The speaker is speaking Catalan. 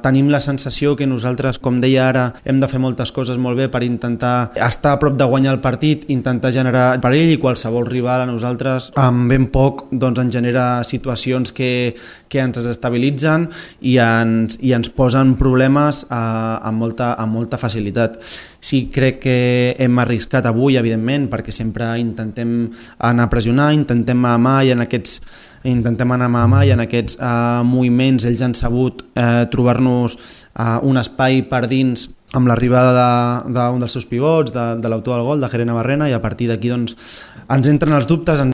tenim la sensació que nosaltres, com deia ara, hem de fer moltes coses molt bé per intentar estar a prop de guanyar el partit, intentar generar perill, i qualsevol rival a nosaltres amb ben poc doncs ens genera situacions que ens desestabilitzen i ens posen problemes amb molta facilitat. Sí, crec que hem arriscat avui, evidentment, perquè sempre intentem anar a pressionar, intentem anar i en aquests moviments ells han sabut trobar-nos un espai per dins amb l'arribada d'un dels seus pivots, de l'autor del gol, de Jerena Barrena, i a partir d'aquí doncs, ens entren els dubtes,